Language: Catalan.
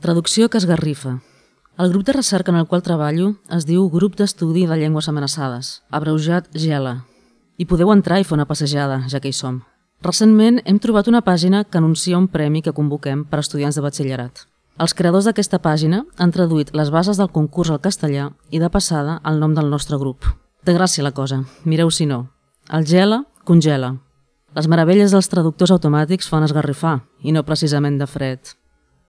Traducció que esgarrifa. El grup de recerca en el qual treballo es diu Grup d'Estudi de Llengües Amenaçades, abreujat GELA. Hi podeu entrar i fer una passejada, ja que hi som. Recentment hem trobat una pàgina que anuncia un premi que convoquem per a estudiants de batxillerat. Els creadors d'aquesta pàgina han traduït les bases del concurs al castellà i de passada el nom del nostre grup. Té gràcia la cosa, mireu si no. El GELA congela. Les meravelles dels traductors automàtics fan esgarrifar, i no precisament de fred.